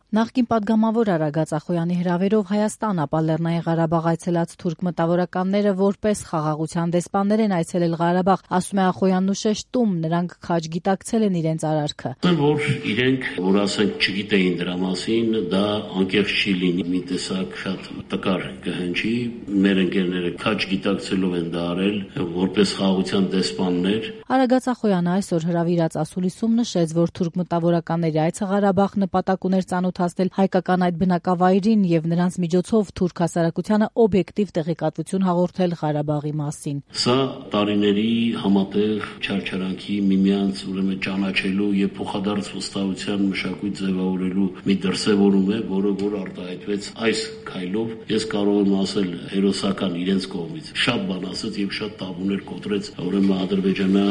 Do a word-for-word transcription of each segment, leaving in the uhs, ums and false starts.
Նախկին պատգամավոր Արագած Ախոյանի հրավերով Հայաստան, ապա Լեռնային Ղարաբաղ այցելած թուրք մտավորականները որպես խաղաղության դեսպաններ են այցելել Ղարաբաղ, ասում է Ախոյանն ու շեշտում, նրանք քաջ գիտակցել են իրենց արարքը։ Որ իրենք, որ ասենք չգիտեին դրա մասին, դա անկեղծ չի լինի, մի տեսակ շատ տկար կհնչի, մեր ընկերները քաջ գիտակցելով են դա արել, որպես խաղաղության դեսպաններ։ Արագած Ախոյանը այսօր հրավիրած ասուլիսում նշեց, որ թուրք մտավորականների այցը Ղարաբաղ նպատակ ուներ ծանոթացնել հայկական այդ բնակավայրին եւ նրանց միջոցով թուրք հասարակությանը օբյեկտիվ տեղեկատվություն հաղորդել Ղարաբաղի մասին։ Սա տարիների համատեղ չարչարանքի, միմյանց ուրեմն ճանաչելու եւ փոխադարձ վստահության մշակույթ ձևավորելու մի դրսեւորում է, որը որ արտահայտվեց այս քայլով։ Ես կարող եմ ասել հերոսական իրենց կողմից շատ բան ասեց եւ շատ տաբուներ կոտրեց ուրեմն ադրբեջանա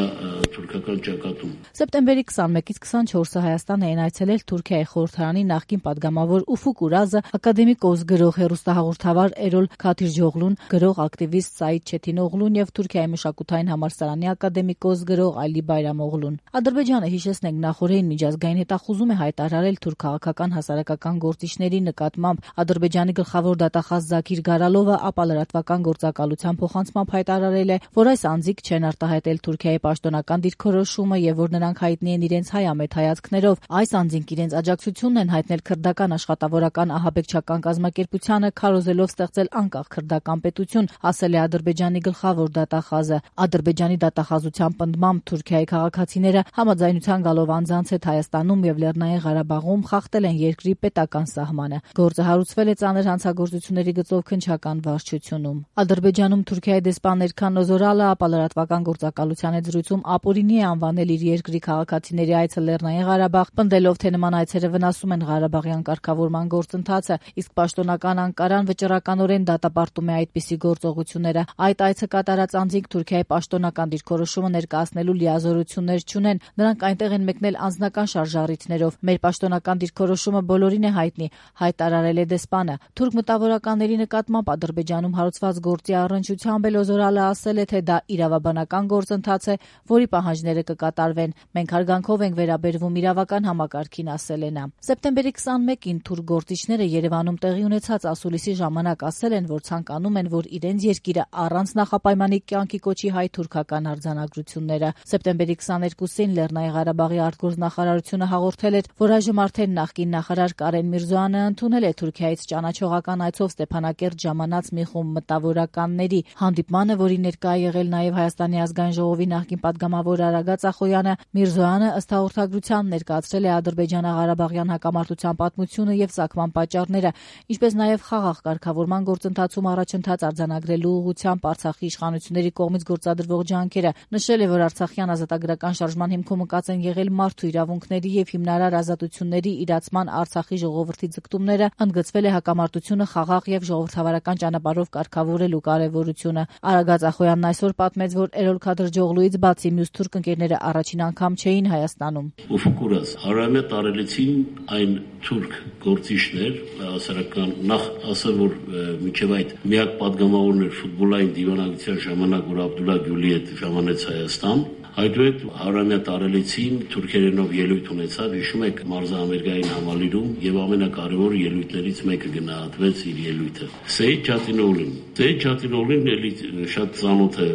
թուրքական ճակատում։ Սեպտեմբերի քսանմեկից քսանչորսը Հայաստան էին այցելել Թուրքիայի խորհրդարանի նախկին պատգամավոր Ուֆուկ Ուրազը, ակադեմիկ Օզ գրող հեռուստահաղորդավար Էրոլ Քաթիրջօղլուն, գրող ակտիվիստ Սաիդ Չեթինօղլուն եւ Թուրքիայի մշակութային համալսարանի ակադեմիկ Օզ գրող Ալի Բայրամօղլուն։ Ադրբեջանը, հիշեցնենք, նախորդին միջազգային հետախուզում է հայտարարել թուրք քաղաքական հասարակական գործիչների նկատմամբ։ Ադրբեջանի գլխավոր դատախազ Զաքիր Գարալովը ապա լրատվական գործակալության փոխանցմամբ հայտարարել է, որ այս անձիկ չեն արտահայտել Թուրքիայի պաշտոնական դիրքորոշումը եւ որ նրանք հայտնի են իրենց հայամետ հայացքներով։ Այս անձինք իրենց աջակցությունն են հայտնել քրդական աշխատավորական ահաբեկչական կազմակերպությանը, քարոզելով ստեղծել անկախ քրդական պետություն, ասել է Ադրբեջանի գլխավոր դատախազը։ Ադրբեջանի դատախազության պնդմամբ Թուրքիայի քաղաքացիները համաձայնության գալով անձանց հետ Հայաստանում եւ Լեռնային Ղարաբաղում խախտել են երկրի պետական սահմանը։ Գործը հարուցվել է ծանր հանցագործությունների գծով քննչական վարչությունում։ Ադրբեջանում Թուրքիայի դեսպան Էրքան Օզորալը ապա լրատվական գործակալության հետ զրույցում ապօրինի է անվանել իր երկրի քաղաքացիների այցը Լեռնային Ղարաբաղ, պնդելով, թե նման այցերը վնասում են Ղարաբաղյան կարգավորման գործընթացը, իսկ պաշտոնական Անկարան վճռականորեն դատապարտում է այդպիսի գործողությունները։ Այդ այցը կատարած անձինք Թուրքիայի պաշտոնական դիրքորոշումը ներկայացնելու լիազորություններ չունեն, նրանք այնտեղ են մեկնել անձնական շարժառիթներով։ Մեր պաշտոնական դիրքորոշումը բոլորին է հայտնի, հայտարարել է դեսպանը։ Թուրք մտավորականների նկատմամբ Ադրբեջանում հարուցված գործի առնչությամբ Օզորալը ասել է, թե դա իրավաբանական գործընթաց է, որի պահանջները կկատարվեն։ Մենք հարգանքով ենք վերաբերվում իրավական համակարգին, ասել է նա։ Սեպտեմբերի քսանմեկին թուրք գործիչները Երևանում տեղի ունեցած ասուլիսի ժամանակ ասել են, որ ցանկանում են, որ իրենց երկիրը առանց նախապայմանի կյանքի կոչի հայ-թուրքական արձանագրությունները։ Սեպտեմբերի քսաներկուսին Լեռնային Ղարաբաղի արտգործնախարարությունը հաղորդել էր, որ այժմ արդեն նախկին նախարար Կարեն Միրզոյանը ընդունել է Թուրքիայից ճանաչողական այցով Ստեփանակերտ ժամանած մի խումբ մտավորականների հանդիպմանը, որի ներկա է եղել նաև Հայաստանի ազգային ժողովի նախկին պատգամավոր Արագած Ախոյանը։ Միրզոյանը ըստ հաղորդագրության ներկայացրել է ադրբեջանա-ղարաբաղյան հակամարտության պատմությունը եւ ծագման պատճառները, ինչպես նաև խաղաղ կարգավորման գործընթացում առաջընթաց արձանագրելու ուղղությամբ Արցախի իշխանությունների կողմից գործադրվող ջանքերը։ Նշել է, որ արցախյան ազատագրական շարժման հիմքում ընկած են եղել մարդու իրավունքների եւ հիմնարար ազատությունների իրացման Արցախի ժողովրդի ձգտումները, ընդգծվել է հակամարտությունը խաղաղ եւ ժողովրդավարական ճանապարհով կարգավորելու կարեւորությունը։ Արագած Ախոյանն այսօր պատմեց, որ Էրոլ Քաթիրջօղլուից բացի մյուս թուրք ընկերները առաջին անգամ չէին Հայաստանում։ Ուֆուկ Ուրազ հարամյա տարելեցին այն թուրք գործիչներ, հասարակական նախ ասել, որ մինչև այդ միակ պատգամավորն էր ֆուտբոլային դիվանագիտության ժամանակ, որ Աբդուլլա Գյուլի հետ ժամանեց Հայաստան։ Այդուհետ հարամյա տարելեցին թուրքերենով ելույթ ունեցավ, հիշում եք մարզահամերգային համալիրում եւ ամենակարևոր ելույթներից մեկը գնահատվեց իր ելույթը։ Սեյիդ Չաթինօղլին։ Սեյիդ Չաթինօղլին էլի շատ ծանոթ է,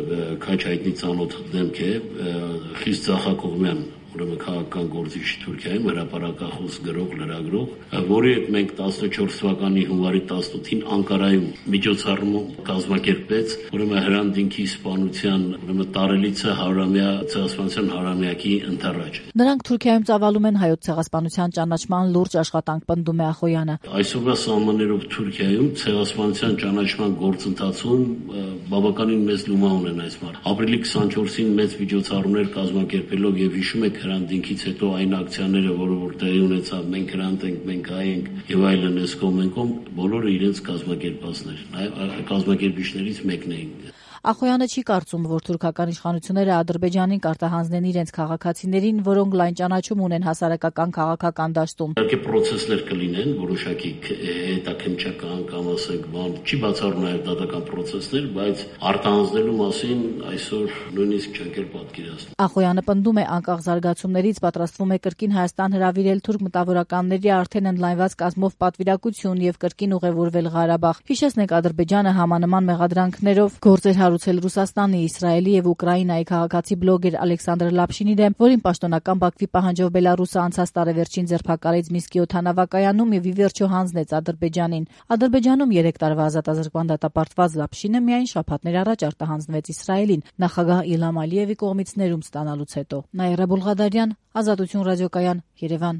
քաչ հայտնի ծանոթ դեմք է, խիստ ցախակողմյան ուրեմն քաղաքական գործիչ Թուրքիայում, հրապարակախոս գրող, լրագրող, որի հետ մենք տասնչորս թվականի հունվարի տասնութին Անկարայում միջոցառում կազմակերպեց, ուրեմն հրանտինքի սպանության ուրեմն տարելիցը հարամյա ցեղասպանության հարամյակի ընթառաջ։ Նրանք Թուրքիայում ծավալում են հայոց ցեղասպանության ճանաչման լուրջ աշխատանք, պնդում է Ախոյանը։ Այսօրվա սահմաններով Թուրքիայում ցեղասպանության ճանաչման գործընթացում բավականին մեծ լումա ունեն այս մարդ։ Ապրիլի քսանչորսին մեծ միջոցառումներ կազմակերպելով եւ հիշում եք հրանտինքից հետո այն ակցիաները, որը որ տեղի ունեցավ, մենք հրանտ ենք, մենք հայ ենք եւ այլն, էս կողմ ենք, բոլորը իրենց կազմակերպածներ, կազմակերպիչներից մեկն էին։ Ախոյանը չի կարծում, որ թուրքական իշխանությունները Ադրբեջանին կարտահանձնեն իրենց քաղաքացիներին, որոնք լայն ճանաչում ունեն հասարակական քաղաքական դաշտում։ Իհարկե պրոցեսներ կլինեն, որոշակի հետաքննչական կամ ասենք բան, չի բացառում նաև դատական պրոցեսներ, բայց արտահանձնելու մասին այսօր նույնիսկ չենք էլ պատկերացնում։ Ախոյանը պնդում է, անկախ զարգացումներից պատրաստվում է կրկին Հայաստան հրավիրել թուրք մտավորականների արդեն ընդլայնված կազմով պատվիրակություն եւ կրկին ուղևորվել Ղարաբաղ։ Հիշեցնենք, Ադրբեջանը համանման մեղադրանքներով գործեր հարուցել Ռուսաստանի, Իսրայելի եւ Ուկրաինայի քաղաքացի բլոգեր Ալեքսանդր Լապշինի դեմ, որին պաշտոնական Բաքվի պահանջով Բելարուսը անցած տարեվերջին ձերբակալեց Մինսկի օդանավակայանում եւ ի վերջո հանձնեց Ադրբեջանին։ Ադրբեջանում երեք տարվա ազատազրկման դատապարտված Լապշինը միայն շաբաթներ առաջ արտահանձնվեց Իսրայելին նախագահ Իլհամ Ալիևի կողմից ներում ստանալուց հետո։ Նաիրա Բուլղադարյան, Ազատություն ռադիոկայան, Երևան։